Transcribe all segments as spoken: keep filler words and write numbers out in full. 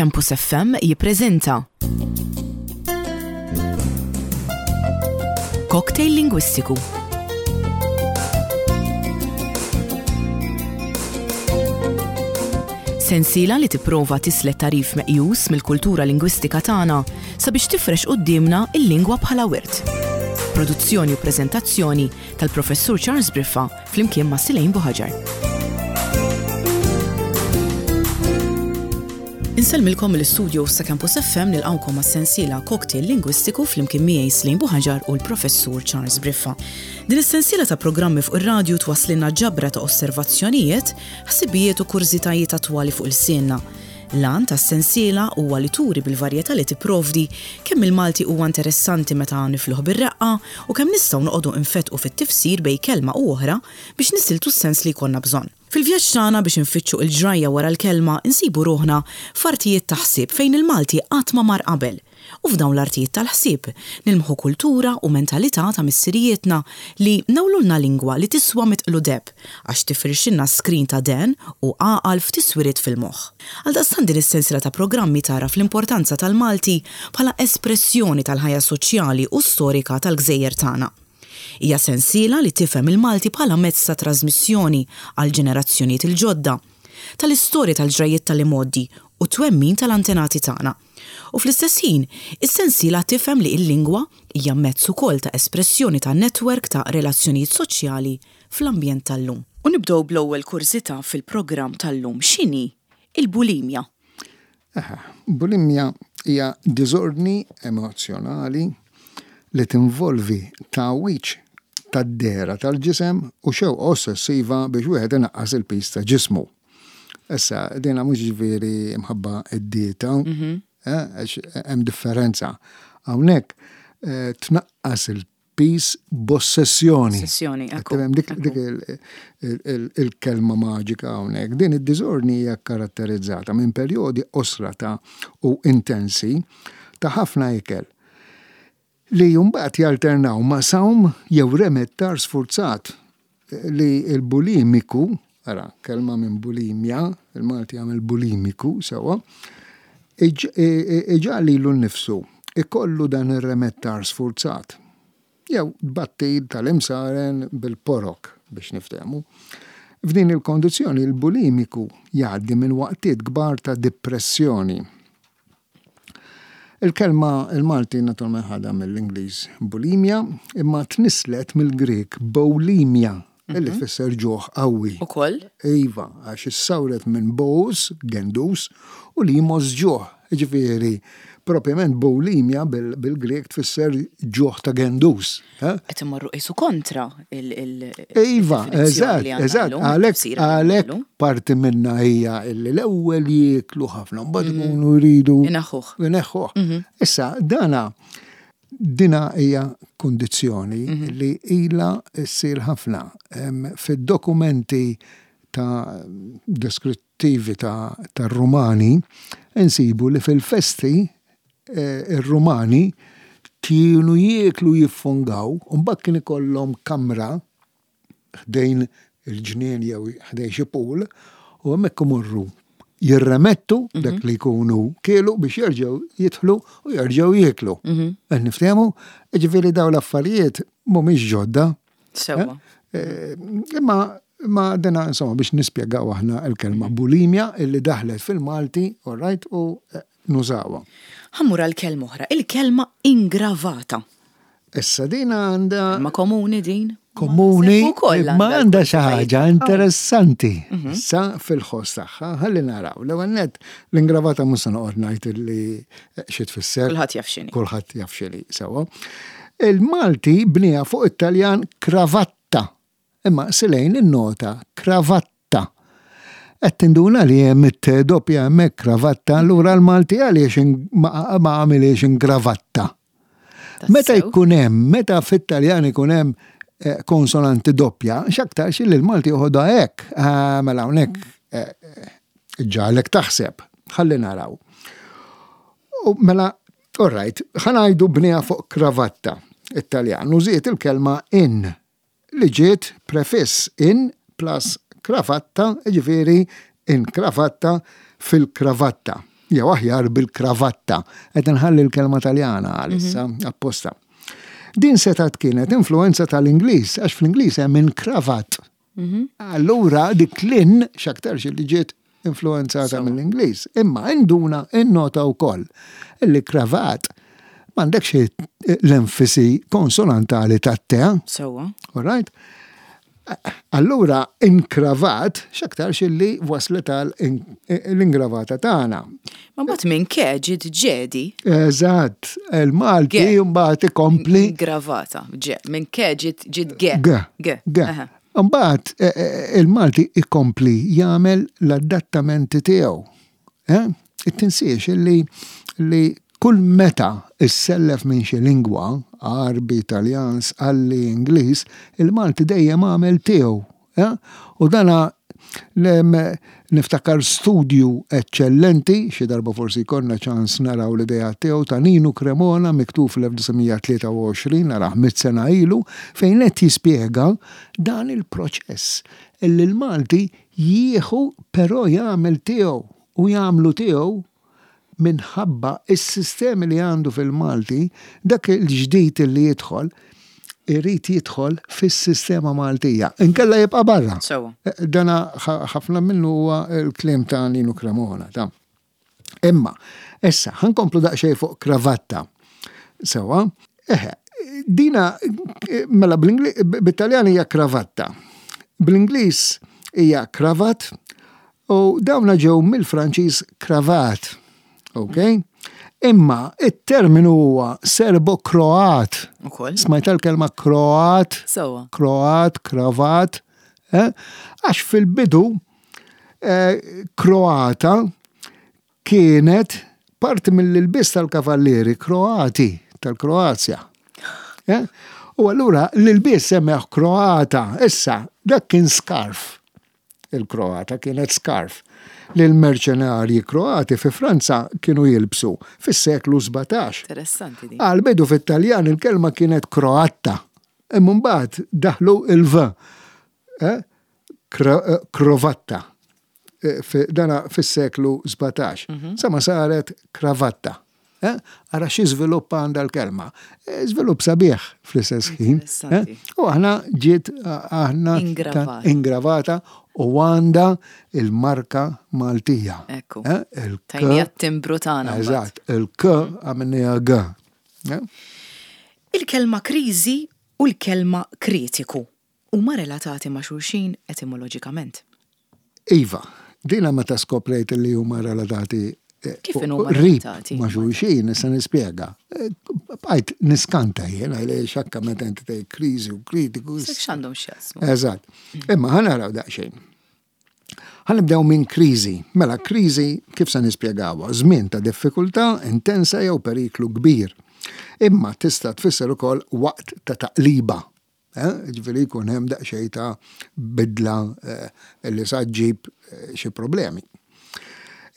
Campus F M jippreżenta Cocktail Lingwistiku. Sensiela li tipprova tislet tagħrif meqjus mill-kultura lingwistika tagħna sabiex tifrex quddiemna il-lingwa bħala wirt. Produzzjoni u preżentazzjoni tal-Professur Charles Briffa flimkien ma' Silejn Buħaġar. Insellmilkom mill-istudio ta' Campus F M, nilqawkom għas-sensiela Cocktail Lingwistiku flimkien miegħi Slejn Buħaġar u l-Professur Charles Briffa. Din is-sensiela ta' programmi fuq ir-radju twasslilna ġabra ta' osservazzjonijiet, ħsibijiet u kurżitajiet attwali fuq ilsienna. L-għan tas-sensiela huwa li turi bil-varjetà li tipprovdi kemm il-Malti huwa interessanti meta nifluh bir-reqqa u kemm nistgħu noqogħdu infetqu fit-tifsir bejn kelma u oħra biex nisiltu s-sens li jkollna bżonn. Fil-vjaġġ tagħna biex infittxu il-ġrajja wara l-kelma, insibu ruħna f'artijiet ta' ħsieb fejn il-Malti qatt ma mar qabel. U f'dawn l-artijiet tal-ħsieb nilmħu kultura u mentalità ta' missirijietna li newlulna lingwa li tiswa mitqlu deheb għax tifirxilna skrin ta' dehen u għaqal f'tiswiriet fil-moħħ. Għaldaqstant din is-sensiela ta' programmi tara fl-importanza tal-Malti bħala espressjoni tal-ħajja soċjali u storika tal-gżejjer tagħna. Hija sensiela li tifhem il-Malti bħala mezz ta' trasmissjoni għal ġenerazzjonijiet il-ġodda, tal-istorja, tal-ġrajiet tal-imgħoddi u twemmin tal-antenati tagħna. U fl-istess ħin, is-sensiela tifhem li l-lingwa hija mezz ukoll ta' espressjoni ta' netwerk ta' relazzjonijiet soċjali fl-ambjent tal-lum. U nibdew bl-ewwel kurżità fil-programm tal-lum. X'inhi il-bulimja? Aha, bulimja hija diżordni emozjonali li tinvolvi tagħwiġ tad-dehra tal-ġisem u xewqa ossessiva biex wieħed inaqqas il-piż ta' ġismu. Issa, dina mhux ġifieri imħabba id-dieta, eh, għax hemm differenza. Hawnhekk eh, tnaqqas il-piż b'ossessjoni. Ossessjoni, ekku. Tifhem, dik, dik il- il- il- il-kelma maġika hawnhekk. Din id-diżordni hija karatterizzata minn perjodi qosra ta' u intensi ta' ħafna ikel li mbagħad jalternaw ma' sawm jew remettar sfurzat li il-bulimiku, ara, kelma minn bulimja, il-Malti għamel bulimiku, sewa, iġa lilu nnifsu ikollu dan ir-remettar sfurzat. Jew battil tal-imsaren bil-porok biex niftehmu. F'din il-kondizzjoni il-bulimiku jgħaddi minn waqtiet kbar ta' depressjoni. Il-kelma il-Malti naturalment ħadha mill-Ingliż bulimia, imma tnislet mill-Grek boulimia, illi tfisser ġuħ qawwi. Ukoll? Iva, għax issawret minn bous, gendus, u limos, ġuħ. Ġifieri, propjament boulimia bil- bil-Grek tfisser ġuħ ta' gendus. Eh? Qed imorru qisu kontra il- il- Iva, il-definizzjoni eżatt, li għandna eżatt, llum, għalek, it-tifsira li għandna għalek llum. parti minna hija illi l-ewwel jieklu ħafna, mbagħad ikunu jridu Inaħħuh. Ineħħuh. Issa, dana dina hija kondizzjoni li ila ssir ħafna. Em, Fid-dokumenti ta' deskrittivi ta' tar-Rumani insibu li fil-festi eh, ir-Rumani kienu jieklu jiffungaw, u mbagħad kien ikollhom kamra ħdejn il-ġnien jew ħdejn xi pool u hemmhekk imorru jirremettu dak li jkunu kielu biex jerġgħu jidħlu u jerġgħu jieklu. Qed niftehmu, ġifieri dawn l-affarijiet mhumiex ġodda. Sewwa. Eh, Imma imma dena insomma biex nispjegaw aħna l-kelma bulimja illi daħlet fil-Malti, all right, u eh, nużawha. Ħa mmur għal kelma oħra, il-kelma ingravata. Issa dina għandha Kelma komuni din? komuni, Ukoll ma għandha xi ħaġa interessanti. Mhm. Issa fil-ħoss tagħha, ħalli naraw. L-ewwel nett, l-ingravata mhux se noqgħod ngħid illi xi tfisser. Kulħadd jaf x'inhi. Kulħadd jaf x'inhi, sewwa. Il-Malti bniha fuq it-Taljan cravatta. Imma silejn in-nota cravatta. Qed tinduna li hemm it doppja hemmhekk, kravatta, allura l-Malti għaliex in- ma ma għamiliex ingravatta? Meta Tassew. jkun hemm, meta fit-Taljan ikun hemm eh, konsonanti doppja, x'aktarx li l-Malti joħodha hekk. Ah, mela hawnhekk eh, eh, ġalek taħseb. Ħalli naraw. U mela, all right, ħa ngħidu bniha fuq kravatta, Italjan, u żied il-kelma in, li ġiet prefiss in plus kravatta, ġifieri in kravatta, fil-kravatta. Jew aħjar bil-kravatta. Qed inħalli l-kelma Taljana għalissa apposta. Din setgħet kienet influenza tal-Ingliż, għax fl-Ingliż hemm in-cravat. Allura dik l-in x'aktarx li ġiet influenzata mill-Ingliż. Imma induna innota wkoll illi cravat m'għandekx l-enfasi konsonantali tat-te. Sewwa. All right? Allura, inkravat, x'aktarx illi waslet għal l-ingravata tagħna. Ma mbagħad minn ke ġiet ġedi. Eżatt, il-Malti Ge. mbagħad ikompli Ingravata. Ġe. Minn ke ġiet ġiet ge. G. Ge. G. Aha. Mbagħad eh, eh, il-Malti ikompli jagħmel l-adattamenti tiegħu. Eh? Tinsiex illi li kull meta issellef minn xi lingwa, Għarbi, Italjan, Sqalli, Ingliż, il-Malti dejjem għamel tiegħu. Eh? U dana lem, niftakar studju eccellenti, xi darba forsi jkollna ċans naraw l-idea tiegħu ta' Ninu Cremona miktub fl-elf disa' mija tlieta u għoxrin, naraħ mitt sena ilu, fejn qed jispjega dan il-proċess illi l-Malti jieħu però jagħmel tiegħu u jagħmlu tiegħu minħabba is-sistemi li għandu fil-Malti, dak il-ġdid li jidħol, irid jidħol fis-sistema Maltija. Inkella jibqa' barra. Sewwa. Dana ħafna minnu huwa l-kliem ta' Ninu Cremona. Ta' Imma, issa, ħa nkomplu daqsxejn fuq kravatta. Sewwa, eħe, dina, mela bit-Taljan hija kravatta. Bl-Ingliż hija cravat u dawna ġew mill-Franċiż cravate. Ok? Imma it-terminu huwa Serbo-Kroat. Ukoll. Smajt l-kelma Kroat? Sewwa. Kroat, kravat. Eh? Għax fil-bidu eh, Kroata kienet parti mill-ilbis tal-kavallieri Kroati tal-Kroazja. Eh? U allura l-ilbis semmeħ Kroata. Issa, dak kien scarf. Il-Kroata kienet scarf li l-merċenarji Kroati fi Franza kienu jilbsu fis-seklu sbatax. Interessanti di. Għal-bidu fit-Taljan il-kelma kienet Kroatta. Imma mbagħad daħlu il-V. Eh? Eh, Krovatta. Eh, dana fis-seklu sbatax. Mhm. Sama saret kravatta. Ara xi żvilupp għandha l-kelma. Żvilupp sabiħ fl-istess ħin. U aħna ġiet aħna ingravata u għandha il-marka Maltija. Ekku. Tajnija timbru tagħna. Eżatt, il-K għamilniha G. Il-kelma kriżi u l-kelma kritiku huma relatati ma' xulxin etimoloġikament. Iva, dina meta skoprejt li huma relatati eh, Kif huma relatati? Ma' xulxin, issa nispjega. Eh, bqajt niskanta jien għaliex xakka meta inti tgħid kriżi u kritiku. X'għandhom x'jaqsmu? Eżatt. Imma ħa naraw daqsxejn. Ħa nibdew minn kriżi. Mela kriżi kif se nispjegawha? Żmien ta' diffikultà intensa jew periklu kbir. Imma tista' tfisser ukoll waqt ta' taqliba. Eh? Ġifieri jkun hemm daqsxejn ta' bidla eh, li sa ġġib eh, xi problemi.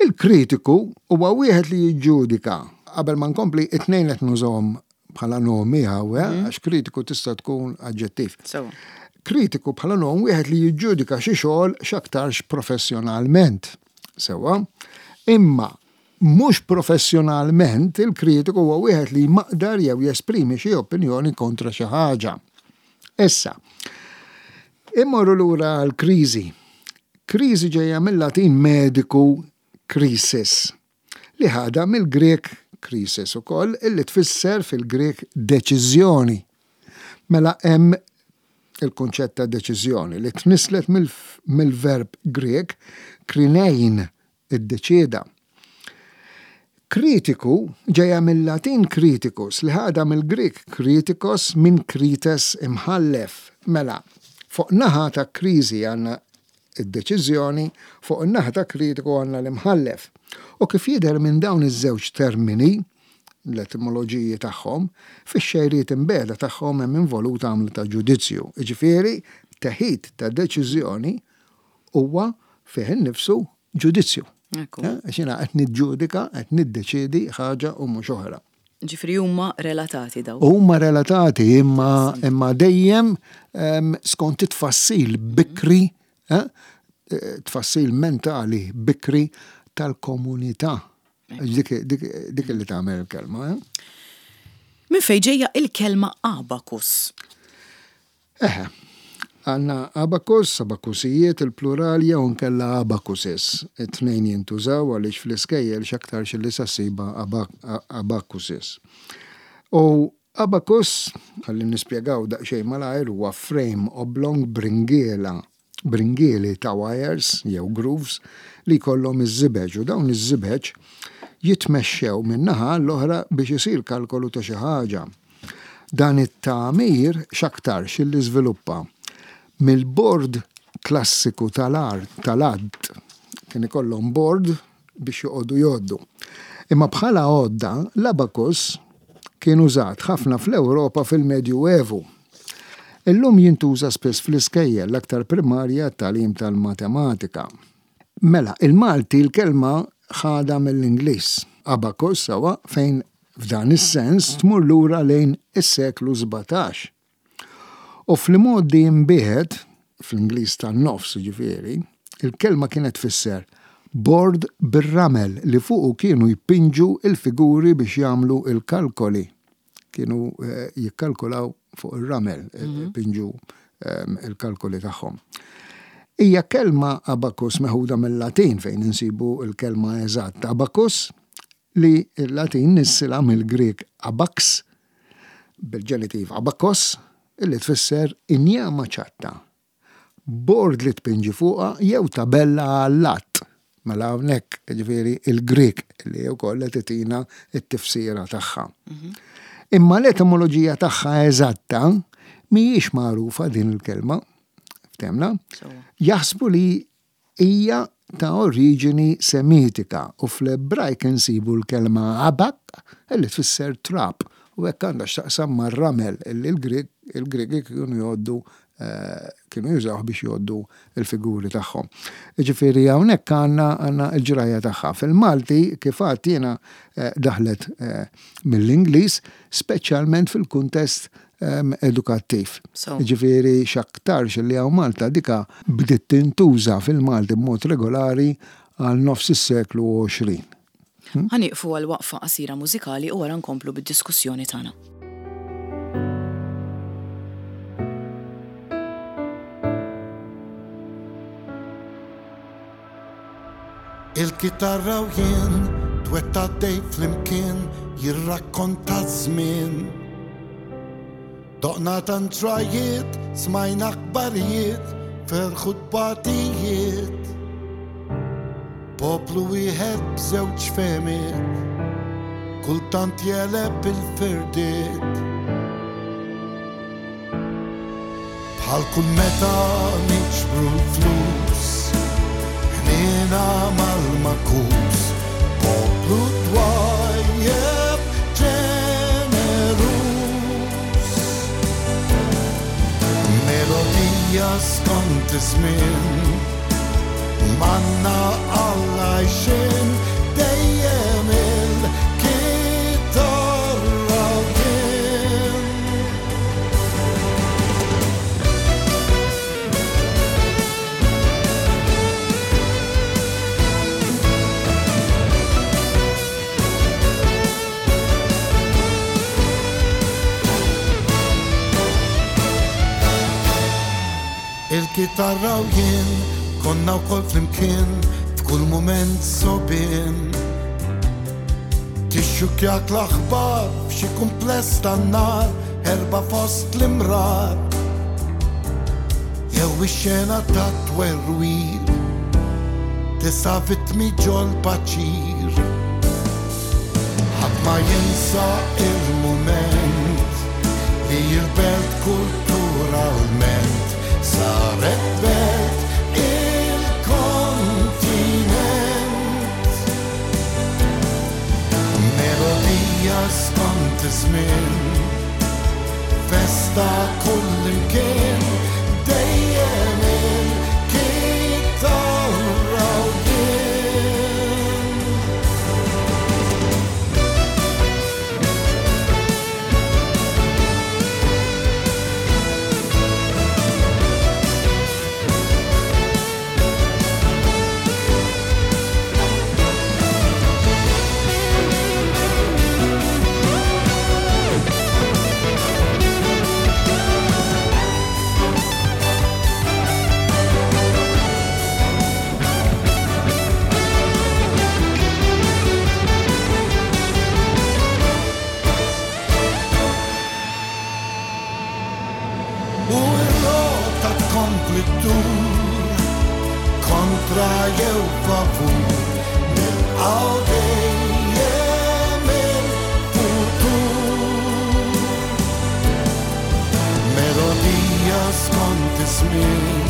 Il-kritiku huwa wieħed li jiġġudika. Qabel ma nkompli, it-tnejn qed nużahom bħala nomi hawn, mm. għax kritiku tista' tkun aġġettiv. Kritiku bħala nom wieħed li jiġġudika xi xogħol x'aktarx professjonalment. Sewwa, imma mhux professjonalment, il-kritiku huwa wieħed li jmaqdar jew jesprimi xi opinjoni kontra xi ħaġa. Issa, immorru lura l-kriżi. Kriżi ġejja mill-Latin mediku crisis, li ħada mill-Grek krisis ukoll, illi tfisser fil-Grek deċiżjoni. Mela hemm il-konċett ta' deċiżjoni li tnislet mill-verb Grek krinein, iddeċieda. Kritiku ġejja mill-Latin criticus li ħada mill-Grek kritikos, minn krites, imħallef. Mela, fuq naħa ta' kriżi għandna id-deċiżjoni, fuq in-naħa ta' kritiku għandna l-imħallef. U kif jidher minn dawn iż-żewġ termini, l-etimoloġiji tagħhom, fix-xejriet imbeda tagħhom hemm involuta għamla ta' ġudizzju. Jiġifieri, teħid ta' deċiżjoni huwa fih innifsu ġudizzju. Ekku. Eh, għax jiena qed niġġudika, qed niddeċiedi ħaġa u mhux oħra. Ġifieri huma relatati daw. Huma relatati imma imma dejjem em, skont it-tfassil bikri, eh, tfassil mentali bikri tal-komunità. Dik, dik, dik li tagħmel il-kelma. Eh? Min fejn ġejja il-kelma abakus? Eħe, għandna abakus, abakusijiet, il-plural jew nkella abakusis. It-tnejn jintużaw għaliex fl-iskejjel x'aktarx li sa ssibha abakusis. U abakus, ħalli nispjegaw daqsxejn malajr, huwa frame oblong bringiela, bringieli ta' wires jew grooves li jkollhom iż-żibeġ, u dawn iż-żibeġ jitmexxew minn naħa l-oħra biex isir kalkolu ta' xi ħaġa. Dan it-tagħmir x'aktarx li żviluppa mill-bord klassiku tal-art tal-għadd. Kien ikollhom bord biex joqogħdu jgħoddu. Imma bħala għodda, l-abakus kien użat ħafna fl-Ewropa fil-Medju Evu. Illum jintuża spiss fl-iskejjel, l-aktar primarja, tagħlim tal-matematika. Mela, il-Malti l-kelma ħada mill-Ingliż, abacus, sawa, fejn f'dan is-sens tmur lura lejn is-seklu sbatax. U fl-modi imbieħed, fl-Ingliż tan-nofs ġifieri, il-kelma kienet tfisser bord bir-ramel li fuqu kienu jpinġu il-figuri biex jagħmlu il-kalkoli. Kienu eh, jikkalkulaw fuq ir-ramel, mhm. pinġu ehm, il-kalkoli tagħhom. Hija kelma abakus meħuda mill-Latin, fejn insibu il-kelma eżatt abakus, li il-Latin nissilha mill-Grek abax, bil-ġenitiv abakos, illi tfisser injama ċatta, bord li tpinġi fuqha jew tabella għall-att. Mela hawnhekk ġifieri il-Grek li wkoll qed titina t-tifsira tagħha. Mhm. Imma l-etimoloġija tagħha eżatta mhijiex magħrufa din il-kelma. Ftemna? Jaħsbu li hija ta' oriġini Semitika u fl-Ebrajk insibu l-kelma abak li tfisser trab, u hekk għandha x'taqsam mar-ramel illi l-Griegi kienu jgħoddu eh, kienu jużawh biex jgħoddu il-figuri tagħhom. Ġifieri hawnhekk għandna għandna l-ġrajja tagħha. Fil-Malti, kif għedt jiena, eh, daħlet eh, mill-Ingliż, speċjalment fil-kuntest edukattiv. Ġifieri x'aktarx li hawn Malta dika bdiet tintuża fil-Malti b'mod regolari għal nofs is-seklu għoxrin. Hm? Ħa nieqfu għal waqfa qasira mużikali u wara nkomplu bid-diskussjoni tagħna. Il-kitarra u jien, twetta dej flimkien, jirrakkonta żmien. Doqna tantrajiet, smajna aħbarijiet, ferħu tbatijiet. Poplu wieħed b'żewġ fehmiet, kultant jeleb il-firdiet. Bħal kull meta niġbru l-flus, ħnina mal-makus, poplu twajjeb ġenerus. Melodija skont iż-żmien, manna għall-għajxien, dejjem il-kitarra kien. Il-kitarra u jien konna wkoll flimkien f'kull mument sobien. Tixxukjak l-aħbar f'xi kumpless tan-nar, erba' fost l-imrar. Jew ix-xena ta' twerwir, tisa' vittmi ġol paċir. Ħadd ma jinsa il-mument li l-belt kulturalment saret belt il-kontinent. Melodija skont iż-żmien, festa kull imkien, dejjem il-kitarra u jien. żmien,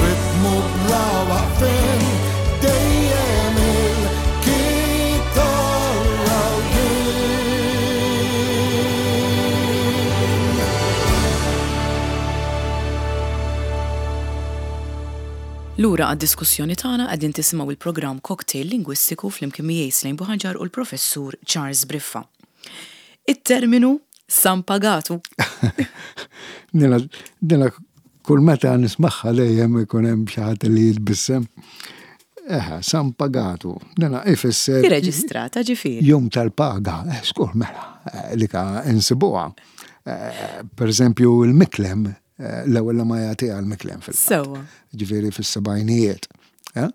ritmu bla waqfien, dejjem il-kitarra u jien. Lura għad-diskussjoni tagħna qegħdin tisimgħu il-programm Cocktail Lingwistiku flimkien miegħi Slejn Buħaġar u l-Professur Charles Briffa. It-terminu San Pagatu. Dina, dina kull meta nismagħha dejjem ikun hemm xi ħadd li jitbissem. Eħe, San Pagatu. Dina ifisser Irreġistrata ġifieri. Jum tal-paga, eh, skur mela, eh, li ka insibuha. Eh, Per eżempju, il-Miklem, eh, l-ewwel ma jagħtiha l-Miklem fil-fatt. Sewwa. Ġifieri fis-sebgħinijiet. eh?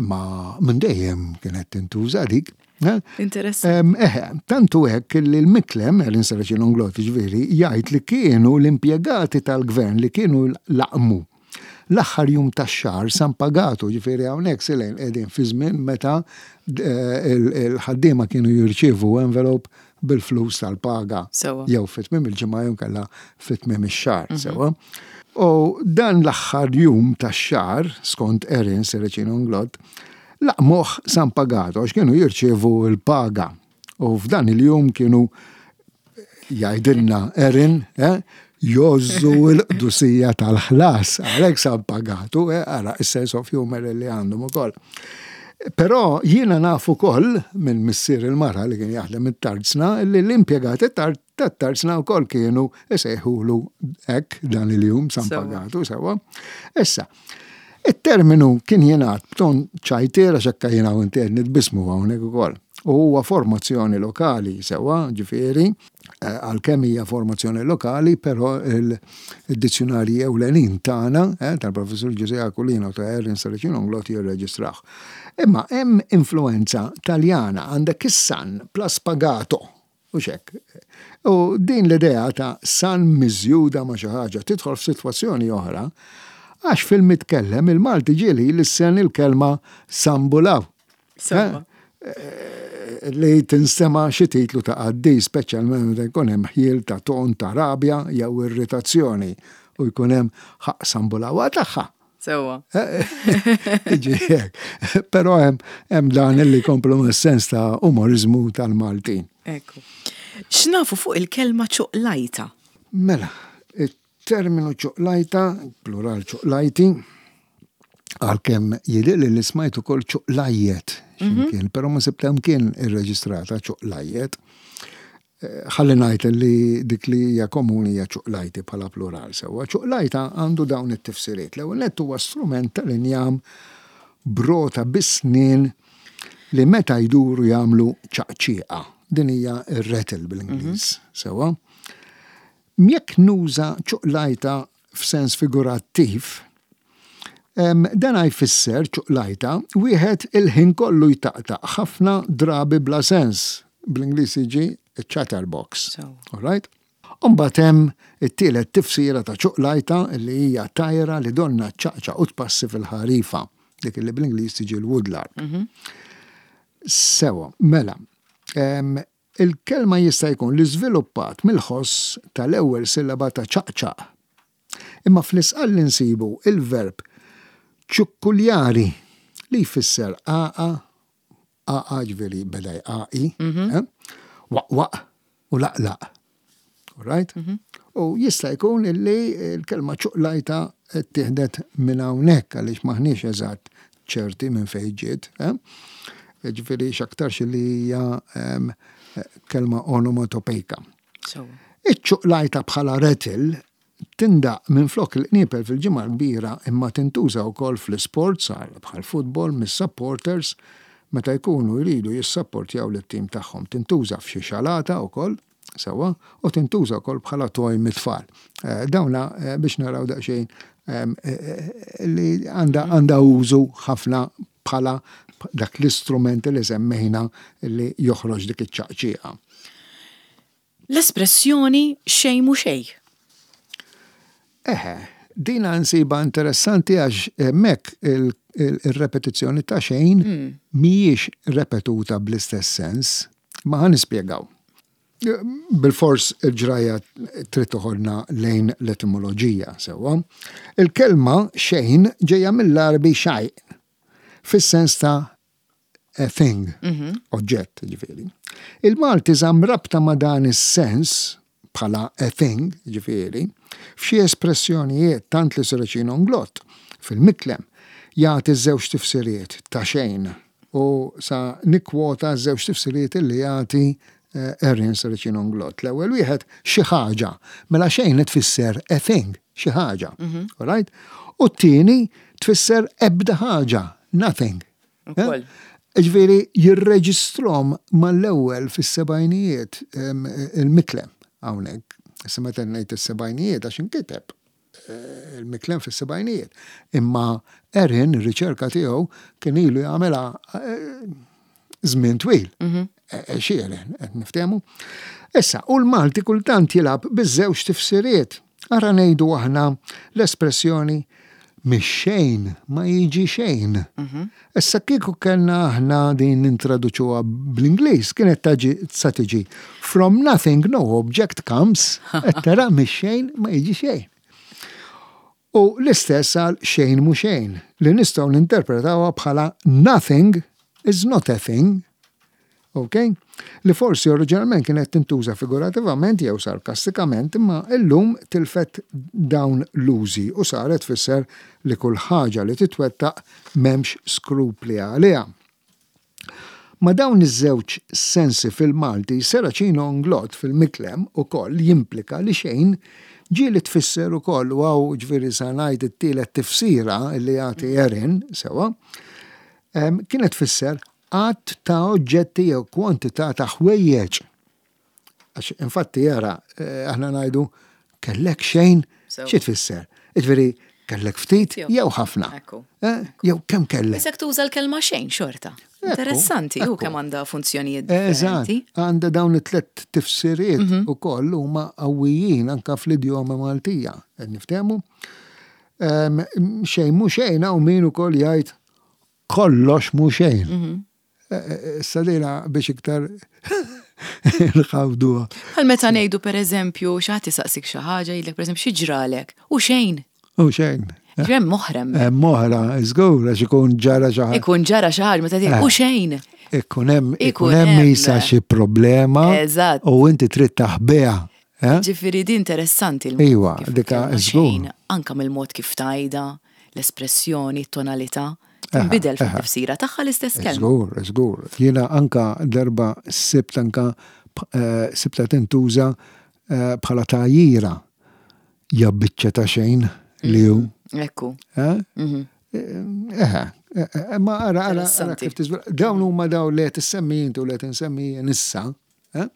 Ma minn dejjem kienet tintuża dik. eh? Interessanti. Em, Eħe, tantu hekk li l-Miklem, l-Insaraċin Unglot, ġifieri, jgħid li kienu l-impjegati tal-gvern li kienu laqmu l-aħħar jum tax-xahar San Pagatu, ġifieri hawnhekk silejn qegħdin fi żmien meta eh, il- il-ħaddiema kienu jirċievu envelope bil-flus tal-paga. Sewwa. Jew fi tmiem il-ġimgħa jew kellha fi tmiem ix-xahar, sewwa. U dan l-aħħar jum tax-xahar, skont Erin Serracino Inglott, laqmuh San Pagatu għax kienu jirċievu l-paga. U f'dan il-jum kienu jgħidilna Erin, eh, jozzu l-qdusija tal-ħlas, għalhekk San Pagatu, eh, ara is-sense of humor li għandhom ukoll. Però jiena naf ukoll minn missier il-mara li kien jaħdem it-tarzna li l-impjegati tat-tarzna wkoll kienu isejħulu hekk dan il-jum San Sewwa. Pagatu sewwa. Issa, it-terminu kien jingħad b'ton ċajtiera x'hekk jiena u inti qed nitbismu hawnhekk ukoll. U huwa formazzjoni lokali sewwa, ġifieri, eh, għalkemm hija formazzjoni lokali, però il-dizzjonarji ewlenin tagħna, eh, tal-Professur Ġużè Aquilina u ta' Erin Serracino Inglott jirreġistraw. Imma hemm influenza Taljana, għandek is-San plus Pagato, u xek. U din l-idea ta' San miżjuda ma' xi ħaġa tidħol f'sitwazzjoni oħra, għax fil-mitkellem il-Malti ġieli lissen il-kelma Sambulaw. Sewwa. Eh, li tinstema xi titlu ta' qaddis, speċjalment meta jkun hemm ħjiel ta' ton ta' rabja jew irritazzjoni u jkun hemm ħaq Sambulawa tagħha. Sewwa. Iġi hekk. Però hemm hemm dan li jkomplu mas-sens ta' umorizmu tal-Maltin. Ekku. X'nafu fuq il-kelma ċuqlajta? Mela, it-terminu ċuqlajta, plural ċuqlajti, għalkemm jidhirli li smajt ukoll ċuqlajjet x'imkien, però ma sibtha mkien irreġistrata ċuqlajjet. Eh, Ħalli ngħid li dik li hija komuni hija ċuqlajti bħala plural sewwa. Ċuqlajta għandu dawn it-tifsiriet. L-ewwel nett huwa strument tal-injam brota bis-snien li meta jduru jagħmlu ċaqċieqa. Din hija r-rattle bil-Ingliż, sewwa. Jekk nuża ċuqlajta f'sens figurattiv, em, dan jfisser ċuqlajta wieħed il-ħin kollu jtaqtaq ħafna drabi bla sens. Bl-Ingliż jiġi chatterbox. Sewwa. All right? Umbagħad hemm it-tielet tifsira ta' ċuqlajta li hija tajra li donna ċaqċaq u tpassi fil-ħarifa, dik li bl-Ingliż tiġi l-woodlark. Sewwa, mela, em, il-kelma jista' jkun li żviluppat mill-ħoss tal-ewwel sillaba ta' ċaqċaq. Imma fl-Isqalli nsibu il-verb ċukkuljari li jfisser għaqa, għaqa ġifieri beda jqaqi, eh? Waqwaq u laqlaq. All right? U jista' jkun illi l-kelma ċuqlajta ttieħdet minn hawnhekk għaliex maħniex eżatt ċerti minn fejn ġiet. Eh? Ġifieri x'aktarx li hija, em, kelma onomatopejka. Sewwa. Iċ-ċuqlajta bħala rattle tindaq minn flok il-qniepel fil-Ġimgħa l-Kbira imma tintuża wkoll fl-isports bħal futbol mis-supporters meta jkunu jridu jissapportjaw lit-tim tagħhom. Tintuża f'xi xalata wkoll, sewwa, u tintuża wkoll bħala toy mit-tfal. Eh, dawna, eh, biex naraw daqsxejn, em, eh, eh, li għandha għandha użu ħafna bħala dak l-istrument li semmejna li joħroġ dik iċ-ċaqċieqa. L-espressjoni xejn mhu xejn. Eħe, dina nsiba interessanti għax hemmhekk il-, il-, il-repetizzjoni ta' xejn Mm. mhijiex repetuta bl-istess sens, ma ħa nispjegaw. Bil-fors il-ġraja trid toħodna lejn l-etimoloġija, sewwa. Il-kelma xejn ġejja mill-Għarbi شيء, fis-sens ta' a thing, oġġett, ġifieri. Il-Malti żamm rabta ma' dan is-sens bħala a thing, ġifieri, f'xi espressjonijiet tant li Serracino Inglott fil-Miklem jagħti żewġ tifsiriet ta' xejn u sa nikkwota żewġ tifsiriet li jagħti eh, Erin Serracino Inglott. L-ewwel wieħed, xi ħaġa, mela xejn tfisser a thing, xi ħaġa. All right? U t-tieni tfisser ebda ħaġa, nothing. Ukoll. Ġifieri, jirreġistrahom mal-ewwel fis-sebgħinijiet em, il-Miklem hawnhekk. Issa meta ngħid is-sebgħinijiet, għax inkiteb eh, il-Miklem fis-sebgħinijiet. Imma Erin, ir-riċerka tiegħu kien ilu jagħmilha eh, żmien twil. Eh, Xieren, qed niftehmu. Issa, u l-Malti kultant jilgħab biż-żewġ tifsiriet. Ara ngħidu aħna l-espressjoni "mix-xejn ma jiġi xejn". Issa kieku kellna aħna din nintraduċuha bl-Ingliż, kienet taġi sa tiġi "From nothing no object comes", qed tara, mix-xejn ma jiġi xejn. U l-istess għal "xejn mu xejn", li nistgħu ninterpretawha bħala "nothing is not a thing". Ok? Li forsi oriġinalment kienet tintuża figurativament jew sarkastikament, imma illum tilfet dawn l-użi u saret tfisser li kull ħaġa li titwettaq m'hemmx skrupli għaliha. Ma dawn iż-żewġ sensi fil-Malti, Serracino Inglott fil-Miklem ukoll jimplika li xejn ġieli tfisser ukoll, u hawn ġifieri sa ngħid it-tielet tifsira li jagħti Erin, sewwa, em, kienet tfisser għadd ta' oġġetti jew kwantità ta' ħwejjeġ. Għax infatti jara, eh, aħna ngħidu "kellek xejn", Sew. xi tfisser? Ġifieri kellek ftit Jew. jew ħafna. Ekku. Eh, Jew kemm kellek. Isek tuża l-kelma xejn xorta. Ekku, Interessanti, u ekku. kemm għandha funzjonijiet Eżatt, differenti. għandha dawn it-tlet tifsiriet u koll huma qawwijin anka fl-idjoma Maltija. Qed niftehmu? Em, Xejn mhu xejn, hawn min ukoll jgħid "kollox mhu xejn". Eh, eh, Issa dejna biex iktar nħawduha. Bħal meta ngħidu, pereżempju, xi ħadd isaqsik xi ħaġa, jgħidlek pereżempju "xi ġralek?" U xejn. U xejn. Hemm moħrem. Hemm oħra, żgur, għax ikun ġara xi ħaġa. Ikun ġara xi ħaġa meta tgħid "u xejn". Ikun hemm Ikun ikun hemm hemm. isa xi problema Eżatt. u inti trid taħbiha. Eh? Ġifieri di interessanti l Iwa, kif dika il-kelma żgur. xejn, anka mill-mod kif tgħidha, l-espressjoni, t-tonalità, tinbidel Aha, fil-tifsira tagħha l-istess kelma. Żgur, żgur. Jiena anka darba sibt anka eh, sibta tintuża eh, bħala tgħajjira. "Ja biċċa ta' xejn li hu." Ekku. Eh? Eh, eh, ma ara, ara, ara Interessanti. kif tiżvela. Dawn huma dawn li qed issemmi inti u li qed insemmi jien issa. eh?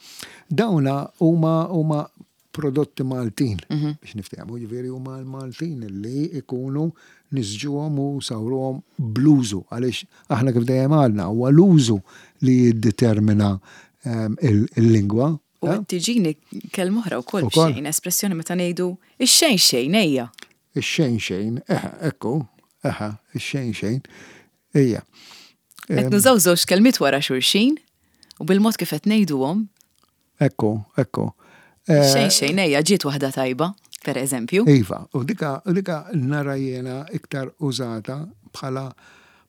Dawna huma huma prodotti Maltin, biex niftehmu, ġifieri huma l-Maltin li ikunu nisġuhom u sawruhom bl-użu, għaliex aħna kif dejjem għalna huwa l-użu li jiddetermina ehm, il- il-lingwa. U eh? qed tiġini kelma oħra wkoll Ukoll. xejn, espressjoni meta ngħidu "ix-xejn xejn ejja". Ix-xejn xejn, eħe, ekku, eħe, ix-xejn xejn, ejja. Qed nużaw żewġ kelmiet wara xulxin u bil-mod kif qed ngħiduhom, Ekku, ekku. Eh, "xejn xejn ejja" ġiet waħda tajba, per eżempju. Iva, u dika, u dika nara jiena iktar użata bħala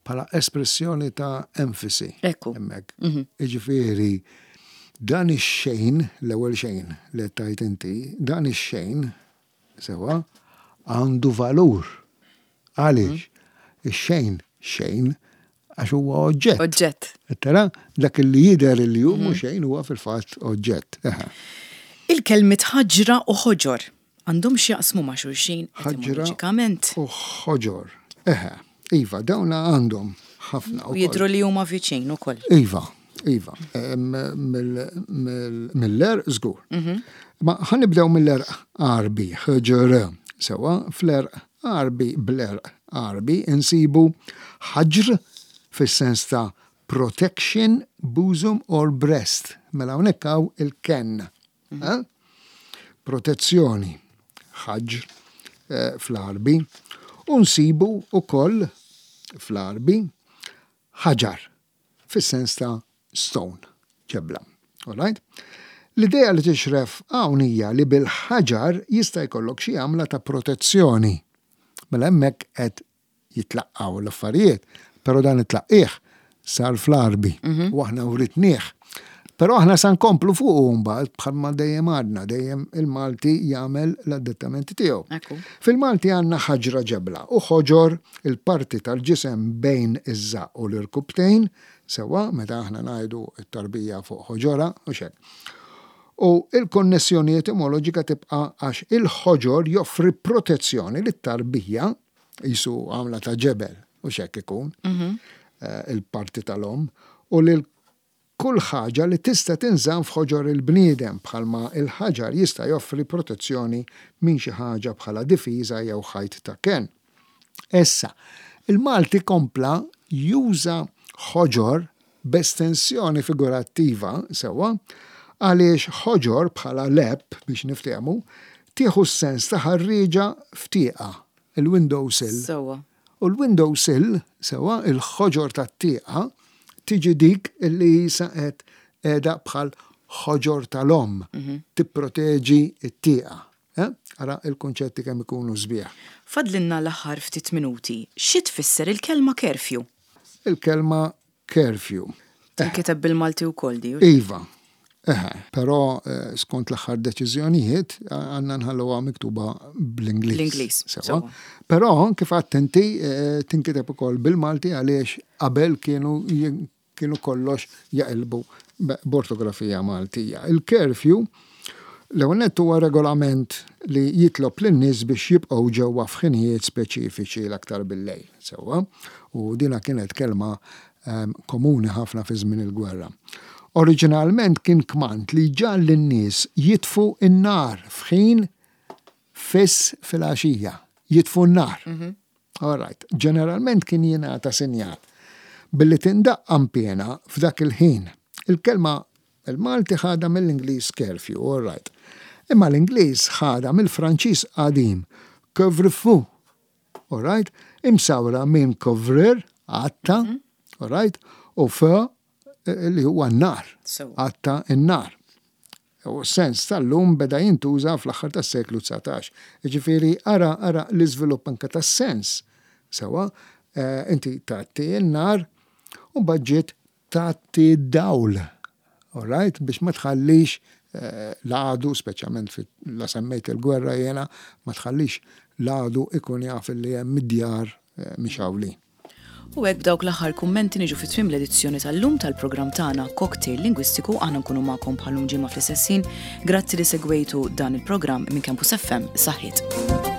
bħala espressjoni ta' enfasi. Ekku. Hemmhekk. Iġifieri, dan ix-xejn, l-ewwel xejn li tajt inti, dan ix-xejn, sewwa, għandu valur. Għaliex? Ix-xejn, xejn, għax huwa oġġett. Oġġett. Tara, dak li jidher li hu mhux xejn huwa fil-fatt oġġett. Eħe. Il-kelmiet ħaġra u ħoġor għandhom x'jaqsmu ma' xulxin Ħaġra etimoloġikament? u ħoġor. Eħe, iva, dawna għandhom ħafna. U jidhru li huma viċin ukoll. Iva, iva, Em, mill- mill- Mill-għerq żgur. Ma ħa nibdew mill-għerq Għarbi, ħġr. Sewwa, fl-għerq Għarbi, bl-għerq Għarbi, insibu ħaġr fis-sens ta' protection, bosom or breast. Mela hawnhekk hawn il-ken. Eh? Protezzjoni, ħaġr eh, fl-Għarbi. U nsibu ukoll fl-Għarbi ħaġar fis-sens ta' stone, ġebla. All right? L-idea li tixref hawn hija li bil-ħaġar jista' jkollok xi għamla ta' protezzjoni. Mela hemmhekk qed jitlaqqgħu l-affarijiet, però dan it-tlaqqih sar fl-Għarbi u aħna writnieh. Però aħna sa nkomplu fuq mbagħad, bħalma dejjem għadna, dejjem il-Malti jagħmel l-adattamenti tiegħu. Ekku. Fil-Malti għandna ħaġra, ġebla, u ħoġor, il-parti tal-ġisem bejn iż-żaq u l-irkubtejn, sewwa, meta aħna ngħidu t-tarbija fuq ħoġora u xek. U il-konnessjoni etimoloġika tibqa' għax il-ħoġor joffri protezzjoni lit-tarbija, jisu għamla ta' ġebel u xek ikun eh, il-parti tal-om u lil kull ħaġa li tista' tinżamm f'ħoġor il-bniedem, bħalma il-ħaġar jista' joffri protezzjoni minn xi ħaġa bħala difiża jew ħajt ta' ken. Issa, il-Malti kompla juża ħoġor b'estensjoni figurattiva, sewwa, għaliex ħoġor bħala lep, biex niftehmu, tieħu s-sens ta' ħarriġa f'tieqa, il-window sill. Sewwa. U l-window sill, sewwa, il-ħoġor tat-tieqa, tiġi dik illi saqet edha bħal ħoġor tal-om, tipproteġi t-tieqa. Eh? Ara il-konċetti kemm ikunu sbieħ. Fadlinna l-aħħar ftit minuti. Xi tfisser il-kelma curfew? Il-kelma curfew. Tinkiteb bil-Malti wkoll di. Iva. Eħe, però eh, skont l-aħħar deċiżjonijiet għandna nħalluha miktuba bl-Ingliż. Bl-Ingliż, Sewwa. sewwa. Però kif għedt inti eh, tinkiteb ukoll bil-Malti għaliex qabel kienu kienu kollox jaqilbu b'ortografija Maltija. Il-curfew l-ewwel nett huwa regolament li jitlob lin-nies biex jibqgħu ġewwa f'ħinijiet speċifiċi, l-aktar bil-lejl, sewwa, u dina kienet kelma em, komuni ħafna fi żmien il-gwerra. Oriġinalment kien kmand li ġagħal lin-nies jitfu n-nar f'ħin fiss fil-għaxija, jitfu n-nar. All right. Ġeneralment kien jingħata sinjal billi tindaq qanpiena f'dak il-ħin. Il-kelma il-Malti ħada mill-Ingliż curfew, all right. Imma l-Ingliż ħada mill-Franċiż qadim couvre-feu, all right, imsawra minn couvrir, għatta, all right, u feu, eh, li huwa n-nar, Sewwa. għatta n-nar. U sens tal-lum beda jintuża fl-aħħar tas-seklu dsatax. Ġifieri ara ara l-iżvilupp anke tas-sens. Sewwa, eh, inti tgħatti n-nar u baġġiet tgħatti d-dawl. All right? Biex ma tħallix eh, l-għadu, speċjalment fi la semmejt il-gwerra jena, ma tħallix l-għadu ikun jaf li hemm id-djar eh, mixgħulin. U hekk, b'dawk l-aħħar kummenti, niġu fi tmiem l-edizzjoni tal-lum tal-programm tagħna Cocktail Lingwistiku. Aħna nkunu magħkom bħal-lum ġimgħa fl-istess ħin. Grazzi li segwejtu dan il-programm minn Campus F M. Saħħiet.